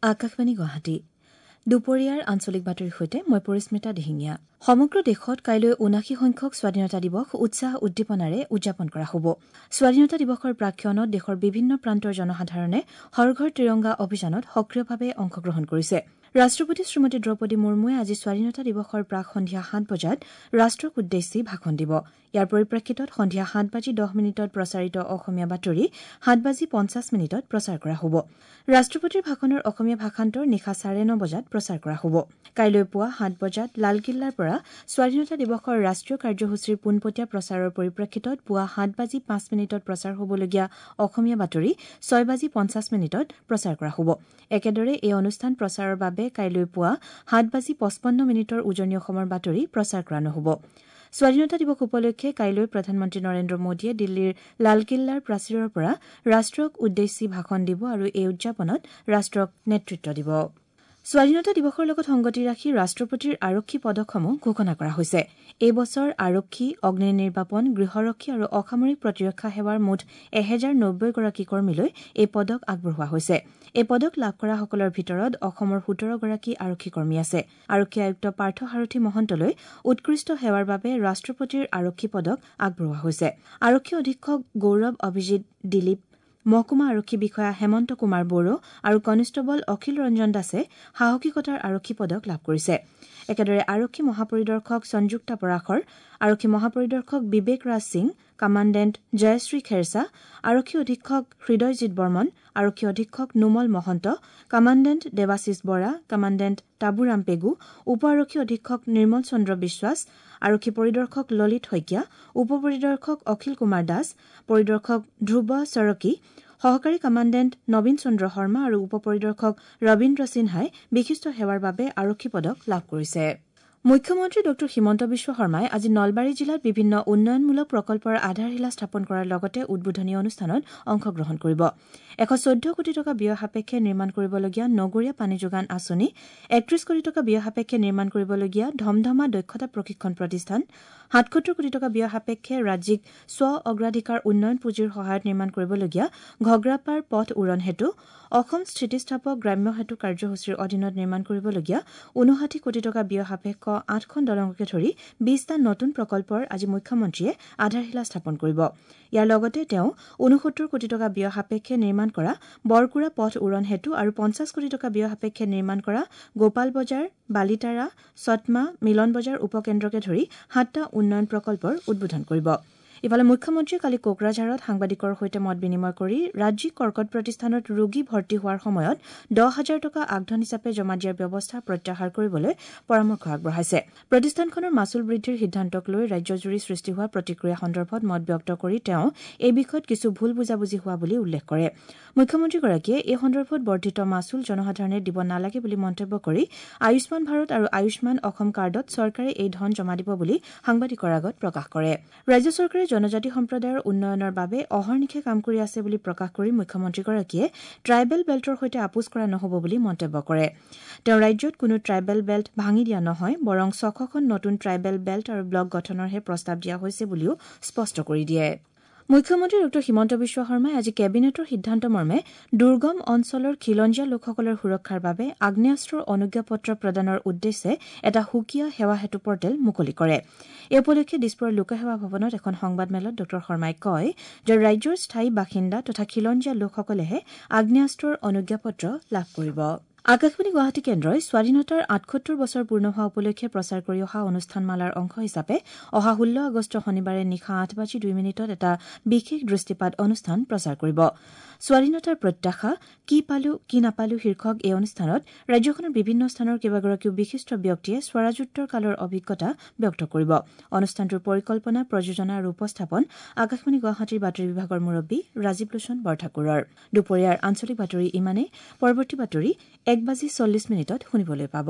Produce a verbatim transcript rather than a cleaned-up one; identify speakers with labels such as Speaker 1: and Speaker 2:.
Speaker 1: আকাশবাণী গুৱাহাটী দুপৰীয়াৰ আঞ্চলিক বাতৰিৰ সৈতে মই পৰিস্মিতা দিহিঙীয়া। সমগ্ৰ দেশত কাইলৈ ঊনাশী সংখ্যক স্বাধীনতা দিৱস উৎসাহ উদ্দীপনাৰে উদযাপন কৰা হ'ব। স্বাধীনতা দিৱসৰ প্ৰাকক্ষণত দেশৰ বিভিন্ন প্ৰান্তৰ জনসাধাৰণে হৰ ঘৰ ত্ৰিৰংগা অভিযানত সক্ৰিয়ভাৱে অংশগ্ৰহণ কৰিছে। ৰাষ্ট্ৰপতি শ্ৰীমতী দ্ৰৌপদী মুৰ্মুৱে আজি স্বাধীনতা দিৱসৰ প্ৰাক সন্ধিয়া সাত বজাত ৰাষ্ট্ৰক উদ্দেশ্যি ভাষণ দিব। ইয়াৰ পৰিপ্ৰেক্ষিতত সন্ধিয়া সাত বাজি দহ মিনিটত প্ৰচাৰিত অসমীয়া বাতৰি সাত বাজি পঞ্চাছ মিনিটত প্ৰচাৰ কৰা হ'ব। ৰাষ্ট্ৰপতিৰ ভাষণৰ অসমীয়া ভাষান্তৰ নিশা চাৰে ন বজাত প্ৰচাৰ কৰা হ'ব। কাইলৈ পুৱা সাত বজাত লালকিল্লাৰ পৰা স্বাধীনতা দিৱসৰ ৰাষ্ট্ৰীয় কাৰ্যসূচীৰ পোনপটীয়া প্ৰচাৰৰ পৰিপ্ৰেক্ষিতত পুৱা সাত বাজি পাঁচ মিনিটত প্ৰচাৰ হ'বলগীয়া অসমীয়া বাতৰি ছয় বাজি পঞ্চাছ মিনিটত প্ৰচাৰ কৰা হ'ব। একেদৰে এই অনুষ্ঠান প্ৰচাৰৰ বাবে কাইলৈ পুৱা সাত বাজি পঁচপন্ন মিনিটৰ উজনি অসমৰ বাতৰি প্ৰচাৰ কৰা নহ'ব। স্বাধীনতা দিৱস উপলক্ষে কাইলৈ প্ৰধানমন্ত্ৰী নৰেন্দ্ৰ মোদীয়ে দিল্লীৰ লালকিল্লাৰ প্ৰাচীৰৰ পৰা ৰাষ্ট্ৰক উদ্দেশ্যি ভাষণ দিব আৰু এই উদযাপনত ৰাষ্ট্ৰক নেতৃত্ব দিব। স্বাধীনতা দিৱসৰ লগত সংগতি ৰাখি ৰাষ্ট্ৰপতিৰ আৰক্ষী পদকসমূহ ঘোষণা কৰা হৈছে। এই বছৰ আৰক্ষী, অগ্নি নিৰ্বাপন, গৃহৰক্ষী আৰু অসামৰিক প্ৰতিৰক্ষা সেৱাৰ মুঠ এহেজাৰ নব্বৈগৰাকী কৰ্মীলৈ এই পদক আগবঢ়োৱা হৈছে। এই পদক লাভ কৰাসকলৰ ভিতৰত অসমৰ সোতৰগৰাকী আৰক্ষী কৰ্মী আছে। আৰক্ষী আয়ুক্ত পাৰ্থ সাৰথি মহন্তলৈ উৎকৃষ্ট সেৱাৰ বাবে ৰাষ্ট্ৰপতিৰ আৰক্ষী পদক আগবঢ়োৱা হৈছে। আৰক্ষী অধীক্ষক গৌৰৱ অভিজিৎ দিলীপ, মহকুমা আৰক্ষী বিষয়া হেমন্ত কুমাৰ বড়ো আৰু কনিষ্টবল অখিল ৰঞ্জন দাসে সাহসিকতাৰ আৰক্ষী পদক লাভ কৰিছে। একেদৰে আৰক্ষী মহাপৰিদৰ্শক সংযুক্তা পৰাশৰ, আৰক্ষী মহাপৰিদৰ্শক বিবেক ৰাজ সিং, কামাণ্ডেণ্ট জয়শ্ৰী খেৰছা, আৰক্ষী অধীক্ষক হৃদয়জিৎ বৰ্মন, আৰক্ষী অধীক্ষক নোমল মহন্ত, কামাণ্ডেণ্ট দেৱাশীষ বৰা, কামাণ্ডেণ্ট টাবুৰাম পেগু, উপ আৰক্ষী অধীক্ষক নিৰ্মল চন্দ্ৰ বিশ্বাস, আৰক্ষী পৰিদৰ্শক ললিত শইকীয়া, উপ পৰিদৰ্শক অখিল কুমাৰ দাস, পৰিদৰ্শক ধ্ৰুৱ চৰকী, সহকাৰী কামাণ্ডেণ্ট নবীন চন্দ্ৰ শৰ্মা আৰু উপ পৰিদৰ্শক ৰবীন্দ্ৰ সিনহাই বিশিষ্ট সেৱাৰ বাবে আৰক্ষী পদক লাভ কৰিছে। মুখ্যমন্ত্ৰী ডঃ হিমন্ত বিশ্ব শৰ্মাই আজি নলবাৰী জিলাত বিভিন্ন উন্নয়নমূলক প্ৰকল্পৰ আধাৰশিলা স্থাপন কৰাৰ লগতে উদ্বোধনী অনুষ্ঠানত অংশগ্ৰহণ কৰিব। এশ চৈধ্য কোটি টকা ব্যয় সাপেক্ষে নিৰ্মাণ কৰিবলগীয়া নগৰীয়া পানী যোগান আঁচনি, একত্ৰিশ কোটি টকা ব্যয় সাপেক্ষে নিৰ্মাণ কৰিবলগীয়া ধমধমা দক্ষতা প্ৰশিক্ষণ প্ৰতিষ্ঠান, সাতসত্তৰ কোটি টকা ব্যয় সাপেক্ষে ৰাজ্যিক স্ব অগ্ৰাধিকাৰ উন্নয়ন পুঁজিৰ সহায়ত নিৰ্মাণ কৰিবলগীয়া ঘগ্ৰাপাৰ পথ উৰণ সেতু, অসম স্থিতিস্থাপক গ্ৰাম্য সেতু কাৰ্যসূচীৰ অধীনত নিৰ্মাণ কৰিবলগীয়া ঊনষাঠি কোটি টকা ব্যয় সাপেক্ষ আঠখন দলঙকে ধৰি বিশটা নতুন প্ৰকল্পৰ আজি মুখ্যমন্ত্ৰীয়ে আধাৰশিলা স্থাপন কৰিব। ইয়াৰ লগতে তেওঁ ঊনসত্তৰ কোটি টকা ব্যয় সাপেক্ষে নিৰ্মাণ কৰা বৰকুৰা পথ উৰণ সেতু আৰু পঞ্চাছ কোটি টকা ব্যয় সাপেক্ষে নিৰ্মাণ কৰা গোপাল বজাৰ, বালিতাৰা, চটমা, মিলন বজাৰ উপকেন্দ্ৰকে ধৰি সাতটা উন্নয়ন প্ৰকল্পৰ উদ্বোধন কৰিব। ইফালে মুখ্যমন্ত্ৰীয়ে কালি কোকৰাঝাৰত সাংবাদিকৰ সৈতে মত বিনিময় কৰি ৰাজ্যিক কৰ্কট প্ৰতিষ্ঠানত ৰোগী ভৰ্তি হোৱাৰ সময়ত দহ হাজাৰ টকা আগধন হিচাপে জমা দিয়াৰ ব্যৱস্থা প্ৰত্যাহাৰ কৰিবলৈ পৰামৰ্শ আগবঢ়াইছে। প্ৰতিষ্ঠানখনৰ মাচুল বৃদ্ধিৰ সিদ্ধান্তক লৈ ৰাজ্যজুৰি সৃষ্টি হোৱা প্ৰতিক্ৰিয়া সন্দৰ্ভত মত ব্যক্ত কৰি তেওঁ এই বিষয়ত কিছু ভুল বুজাবুজি হোৱা বুলি উল্লেখ কৰে। মুখ্যমন্ত্ৰীগৰাকীয়ে এই সন্দৰ্ভত বৰ্ধিত মাচুল জনসাধাৰণে দিব নালাগে বুলি মন্তব্য কৰি আয়ুষ্মান ভাৰত আৰু আয়ুষ্মান অসম কাৰ্ডত চৰকাৰে এই ধন জমা দিব বুলি সাংবাদিকৰ আগত প্ৰকাশ কৰে। ৰাজ্য চৰকাৰে জনজাতি সম্প্ৰদায়ৰ উন্নয়নৰ বাবে অহৰ্নিশে কাম কৰি আছে বুলি প্ৰকাশ কৰি মুখ্যমন্ত্ৰীগৰাকীয়ে ট্ৰাইবেল বেল্টৰ সৈতে আপোচ কৰা নহ'ব বুলি মন্তব্য কৰে। তেওঁ ৰাজ্যত কোনো ট্ৰাইবেল বেল্ট ভাঙি দিয়া নহয়, বৰং ছশখন নতুন ট্ৰাইবেল বেল্ট আৰু ব্লক গঠনৰহে প্ৰস্তাৱ দিয়া হৈছে বুলিও স্পষ্ট কৰি দিয়ে। মুখ্যমন্ত্ৰী ডঃ হিমন্ত বিশ্ব শৰ্মাই আজি কেবিনেটৰ সিদ্ধান্তমৰ্মে দুৰ্গম অঞ্চলৰ খিলঞ্জীয়া লোকসকলৰ সুৰক্ষাৰ বাবে আগ্নেয়াস্ত্ৰৰ অনুজ্ঞাপত্ৰ প্ৰদানৰ উদ্দেশ্যে এটা সুকীয়া সেৱা সেতু পৰ্টেল মুকলি কৰে। এই উপলক্ষে দিছপুৰৰ লোকসেৱা ভৱনত এখন সংবাদমেলত ডঃ শৰ্মাই কয় যে ৰাজ্যৰ স্থায়ী বাসিন্দা তথা খিলঞ্জীয়া লোকসকলেহে আগ্নেয়াস্ত্ৰৰ অনুজ্ঞাপত্ৰ লাভ কৰিব। আকাশবাণী গুৱাহাটী কেন্দ্ৰই স্বাধীনতাৰ আঠসত্তৰ বছৰ পূৰ্ণ হোৱা উপলক্ষে প্ৰচাৰ কৰি অহা অনুষ্ঠানমালাৰ অংশ হিচাপে অহা ষোল্ল আগষ্ট শনিবাৰে নিশা আঠ বাজি দুই মিনিটত এটা বিশেষ দৃষ্টিপাত অনুষ্ঠান প্ৰচাৰ কৰিব। স্বাধীনতাৰ প্ৰত্যাশা, কি পালো কি নাপালো শীৰ্ষক এই অনুষ্ঠানত ৰাজ্যখনৰ বিভিন্ন স্থানৰ কেইবাগৰাকীও বিশিষ্ট ব্যক্তিয়ে স্বৰাজোত্তৰ কালৰ অভিজ্ঞতা ব্যক্ত কৰিব। অনুষ্ঠানটোৰ পৰিকল্পনা, প্ৰযোজনা আৰু উপস্থাপন আকাশবাণী গুৱাহাটীৰ বাতৰি বিভাগৰ মুৰব্বী ৰাজীৱ লোচন বৰঠাকুৰৰ। দুপৰীয়াৰ আঞ্চলিক বাতৰি ইমানেই। পৰৱৰ্তী বাতৰি এক বাজি চল্লিছ মিনিটত শুনিবলৈ পাব।